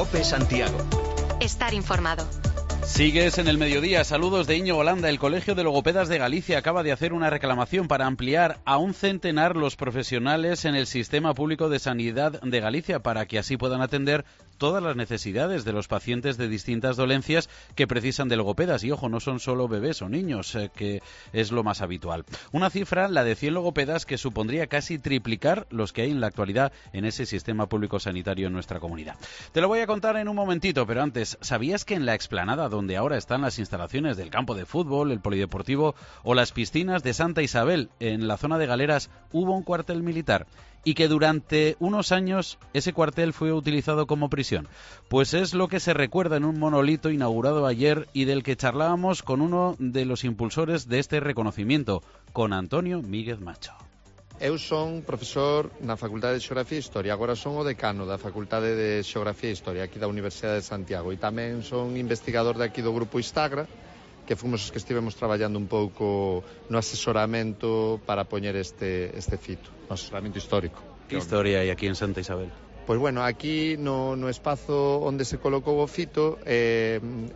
COPE Santiago. Estar informado. Sigues en el mediodía. Saludos de Íñigo Landa. El Colegio de Logopedas de Galicia acaba de hacer una reclamación para ampliar a un centenar los profesionales en el Sistema Público de Sanidad de Galicia para que así puedan atender todas las necesidades de los pacientes de distintas dolencias que precisan de logopedas. Y ojo, no son solo bebés o niños, que es lo más habitual. Una cifra, la de 100 logopedas, que supondría casi triplicar los que hay en la actualidad en ese sistema público sanitario en nuestra comunidad. Te lo voy a contar en un momentito, pero antes, ¿sabías que en la explanada donde ahora están las instalaciones del campo de fútbol, el polideportivo o las piscinas de Santa Isabel, en la zona de Galeras, hubo un cuartel militar? Y que durante unos años ese cuartel fue utilizado como prisión. Pues es lo que se recuerda en un monolito inaugurado ayer y del que charlábamos con uno de los impulsores de este reconocimiento, con Antonio Míguez Macho. Eu son profesor na Facultade de Xeografía e Historia, agora son o decano da Facultade de Xeografía e Historia aquí da Universidade de Santiago, e tamén son investigador de aquí do Grupo Istagra, que fomos os que estivemos traballando un pouco no asesoramento para poñer este fito, no asesoramento histórico. Que historia hai aquí en Santa Isabel? Pois bueno, aquí no espazo onde se colocou o fito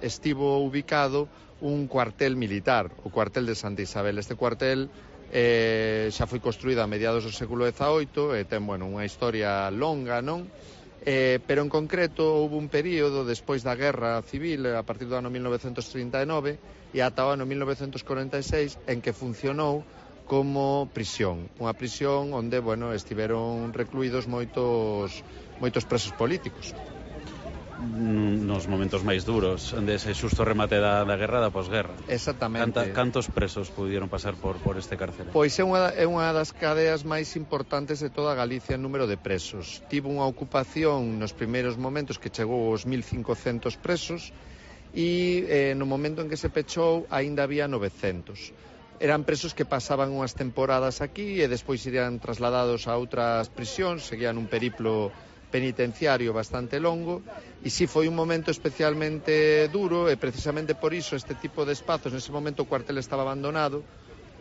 estivo ubicado un cuartel militar, o cuartel de Santa Isabel. Este cuartel xa foi construído a mediados do século XVIII e ten, bueno, unha historia longa, non? Pero en concreto houve un período despois da Guerra Civil, a partir do ano 1939 e ata o ano 1946, en que funcionou como prisión, unha prisión onde, bueno, estiveron recluídos moitos presos políticos. Nos momentos máis duros dese xusto remate da guerra, da posguerra. Exactamente. Cantos presos pudieron pasar por este cárcel? Pois é unha das cadeas máis importantes de toda Galicia en número de presos. Tivo unha ocupación nos primeiros momentos que chegou aos 1.500 presos e no momento en que se pechou aínda había 900. Eran presos que pasaban unhas temporadas aquí e despois irían trasladados a outras prisións, seguían un periplo penitenciario bastante longo, e si foi un momento especialmente duro, e precisamente por iso este tipo de espazos, nese momento o cuartel estaba abandonado,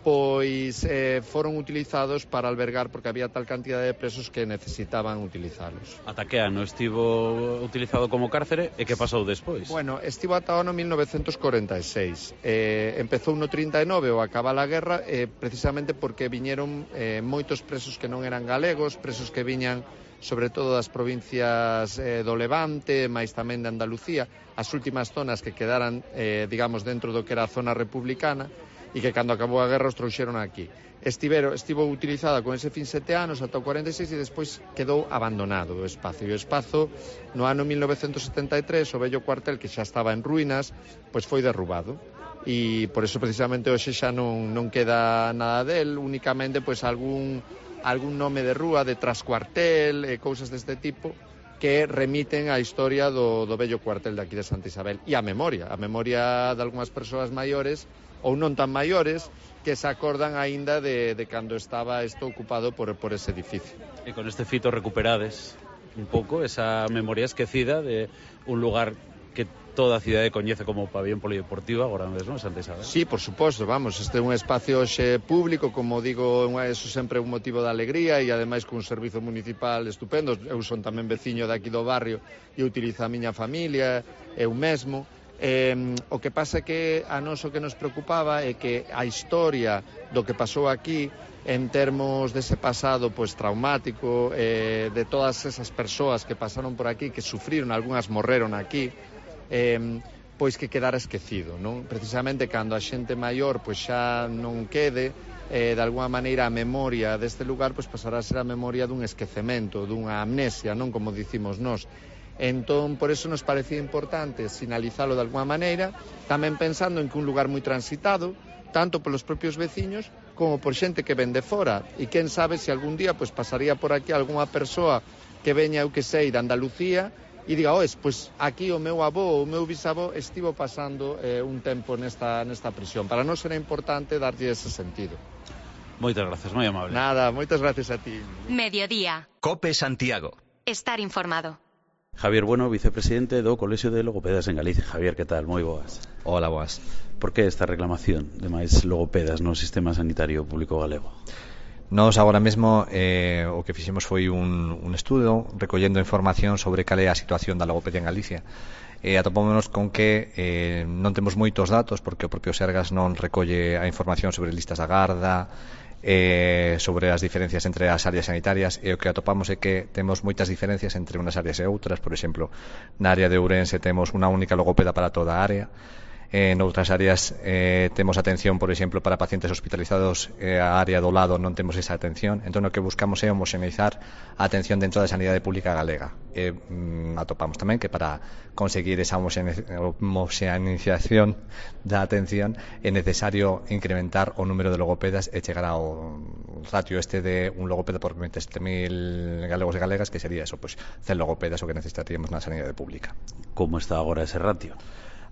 pois foron utilizados para albergar, porque había tal cantidad de presos que necesitaban utilizalos. Ata que ano estivo utilizado como cárcere e que pasou despois? Bueno, estivo ata o ano 1946. Empezou no 39 ao acabar a guerra, precisamente porque viñeron moitos presos que non eran galegos, presos que viñan sobre todo das provincias do Levante, máis tamén de Andalucía, as últimas zonas que quedaran, digamos, dentro do que era a zona republicana, e que cando acabou a guerra os trouxeron aquí. Estivo utilizada con ese fin 7 anos ata o 46 e despois quedou abandonado o espazo. E o espazo, no ano 1973, o vello cuartel, que xa estaba en ruínas, pois foi derrubado. E por eso precisamente hoxe xa non queda nada del, únicamente pois algún nome de rúa, de trascuartel, cousas deste tipo, que remiten á historia do vello cuartel de aquí de Santa Isabel. E a memoria de algunhas persoas maiores ou non tan maiores que se acordan aínda de cando estaba isto ocupado por ese edificio. E con este fito recuperades un pouco esa memoria esquecida de un lugar que toda a cidade coñece como pabellón polideportivo agora mesmo, Santa Isabel. Sí, por suposto, vamos, este é un espacio xe público, como digo, eso sempre é un motivo de alegría e ademais con un servizo municipal estupendo. Eu son tamén veciño de aquí do barrio e utilizo a miña familia, eu mesmo. O que pasa é que a nós o que nos preocupaba é que a historia do que pasou aquí en termos dese pasado pois traumático, de todas esas persoas que pasaron por aquí, que sufriron, algunhas morreron aquí, pois que quedara esquecido, non? Precisamente cando a xente maior pois xa non quede, de alguma maneira a memoria deste lugar pois pasará a ser a memoria dun esquecemento, dunha amnesia, non como dicimos nós. Entón, por eso nos parecía importante sinalizalo de alguma maneira, tamén pensando en que un lugar moi transitado, tanto polos propios veciños como por xente que ven de fora, e quen sabe se algún día pois pasaría por aquí algunha persoa que veña, eu que sei, de Andalucía e diga, pois aquí o meu avó ou o meu bisavó estivo pasando un tempo nesta prisión. Para nós era importante darlle ese sentido. Moitas gracias, moi amable. Nada, moitas gracias a ti. Mediodía. COPE Santiago. Estar informado. Javier Bueno, vicepresidente do Colexio de Logopedas en Galicia. Javier, que tal? Moi boas. Hola, boas. Por que esta reclamación de máis logopedas no sistema sanitario público galego? Nós agora mesmo o que fixemos foi un estudo recollendo información sobre cal é a situación da logopedia en Galicia. Atopámonos con que non temos moitos datos porque o propio Sergas non recolle a información sobre listas da garda, sobre as diferencias entre as áreas sanitarias, e o que atopamos é que temos moitas diferencias entre unas áreas e outras. Por exemplo, na área de Ourense temos unha única logopeda para toda a área. En outras áreas temos atención, por exemplo, para pacientes hospitalizados, a área do lado non temos esa atención. Entón, o que buscamos é homoxeneizar a atención dentro da sanidade pública galega. Atopamos tamén que para conseguir esa homoxeneización da atención é necesario incrementar o número de logopedas e chegar ao ratio este de un logopeda por 27.000 galegos e galegas, que sería eso, pues 100 logopedas o que necesitaríamos na sanidade pública. Como está agora ese ratio?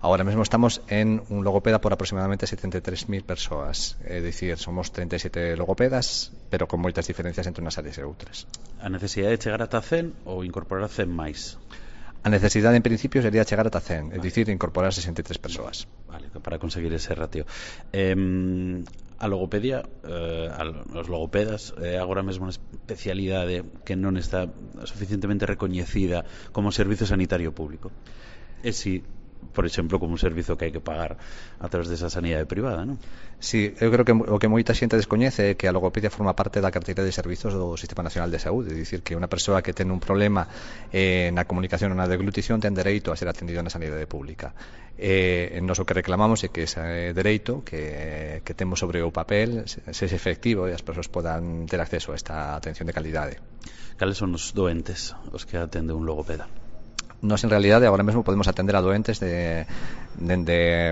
Ahora mesmo estamos en un logopeda por aproximadamente 73.000 persoas. É dicir, somos 37 logopedas, pero con moitas diferencias entre unhas áreas e outras. A necesidade de chegar ata 100 ou incorporar 100 máis? A necesidade, en principio, sería chegar ata 100, é dicir, incorporar 63 persoas. Vale, para conseguir ese ratio. A logopedia, os logopedas, agora mesmo unha especialidade que non está suficientemente recoñecida como servizo sanitario público. E si, por exemplo, como un servizo que hai que pagar a través desa sanidade privada, non? Sí, eu creo que o que moita xente descoñece é que a logopedia forma parte da carteira de servizos do Sistema Nacional de Saúde. É dicir, que unha persoa que ten un problema na comunicación ou na deglutición ten dereito a ser atendido na sanidade pública. Nos o que reclamamos é que ese dereito que temos sobre o papel se efectivo e as persoas podan ter acceso a esta atención de calidade. Cales son os doentes os que atende un logopeda? Nós, en realidade, agora mesmo podemos atender a doentes dende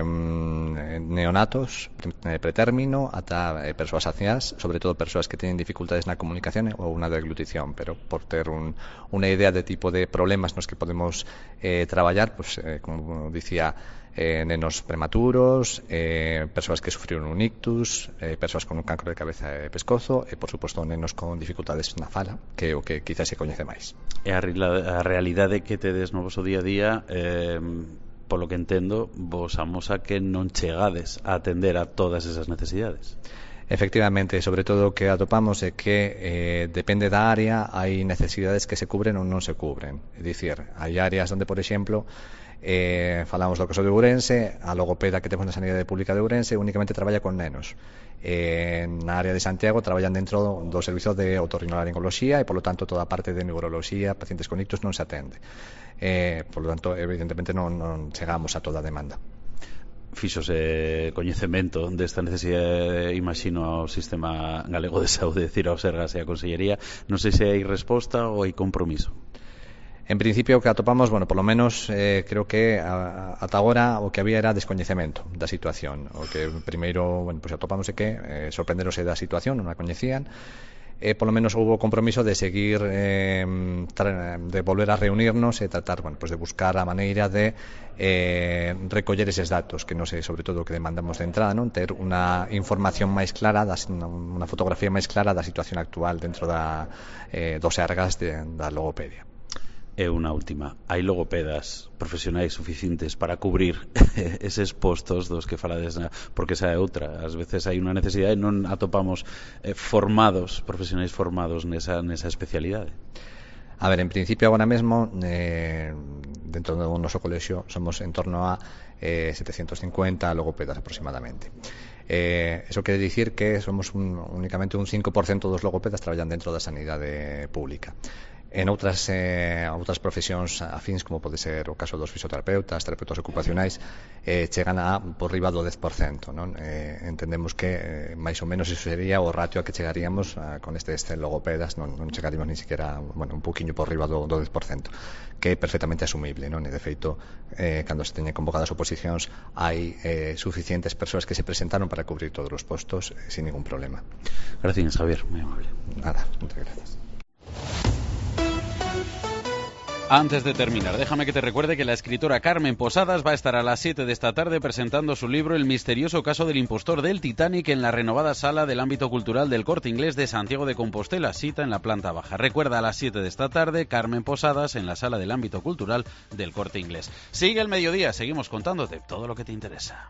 neonatos, pretérmino, ata persoas anciás, sobre todo persoas que teñen dificultades na comunicación ou na deglutición, pero por ter unha idea de tipo de problemas nos que podemos traballar, pues, como dicía, nenos prematuros, persoas que sufriron un ictus, persoas con un cancro de cabeza e pescozo e, por suposto, nenos con dificultades na fala, que é o que quizás se coñece máis. E a realidade que tedes no voso día a día, polo que entendo, vos amosa que non chegades a atender a todas esas necesidades. Efectivamente, sobre todo o que atopamos é que depende da área, hai necesidades que se cubren ou non se cubren. É dicir, hai áreas onde, por exemplo, falamos do caso de Ourense, a logopeda que temos na sanidade pública de Ourense únicamente traballa con nenos. Na área de Santiago traballan dentro do servizo de otorrinolaringoloxía e, polo tanto, toda a parte de neuroloxía, pacientes con ictus non se atende. Polo tanto, evidentemente non chegamos a toda a demanda. Fixose coñecemento desta necesidade, imagino, ao Sistema Galego de Saúde, decir, ao Sergas e a Consellería. Non sei se hai resposta ou hai compromiso. En principio, o que atopamos, bueno, polo menos creo que ata agora o que había era descoñecemento da situación. O que primeiro, bueno, pues atopamos é que sorprenderose da situación, non a coñecían. Polo menos houve o compromiso de seguir, de volver a reunirnos e tratar, bueno, pues de buscar a maneira de recoller eses datos, que non sei, sobre todo o que demandamos de entrada, non ter unha información máis clara, unha fotografía máis clara da situación actual dentro dos Sergas da logopedia. E unha última, hai logopedas profesionais suficientes para cubrir eses postos dos que falades, porque esa é outra, ás veces hai unha necesidade e non atopamos profesionais formados nesa especialidade. A ver, en principio agora mesmo dentro do noso colexio somos en torno a 750 logopedas aproximadamente. Eso quere dicir que somos únicamente un 5% dos logopedas traballan dentro da sanidade pública. En outras profesións afíns, como pode ser o caso dos fisioterapeutas, terapeutas ocupacionais, chegan a por riba do 10%, non? Entendemos que máis ou menos iso sería o ratio a que chegaríamos con estes logopedas, non chegaríamos ni siquiera, bueno, un poquinho por riba do 10%, que é perfectamente asumible, non? E de feito, cando se teñen convocadas oposicións, hai suficientes persoas que se presentaron para cubrir todos os postos sin ningún problema. Gracias, Javier, moi amable. Nada, muchas gracias. Antes de terminar, déjame que te recuerde que la escritora Carmen Posadas va a estar a las 7 de esta tarde presentando su libro El misterioso caso del impostor del Titanic en la renovada sala del ámbito cultural del Corte Inglés de Santiago de Compostela, cita en la planta baja. Recuerda, a las 7 de esta tarde, Carmen Posadas en la sala del ámbito cultural del Corte Inglés. Sigue el mediodía, seguimos contándote todo lo que te interesa.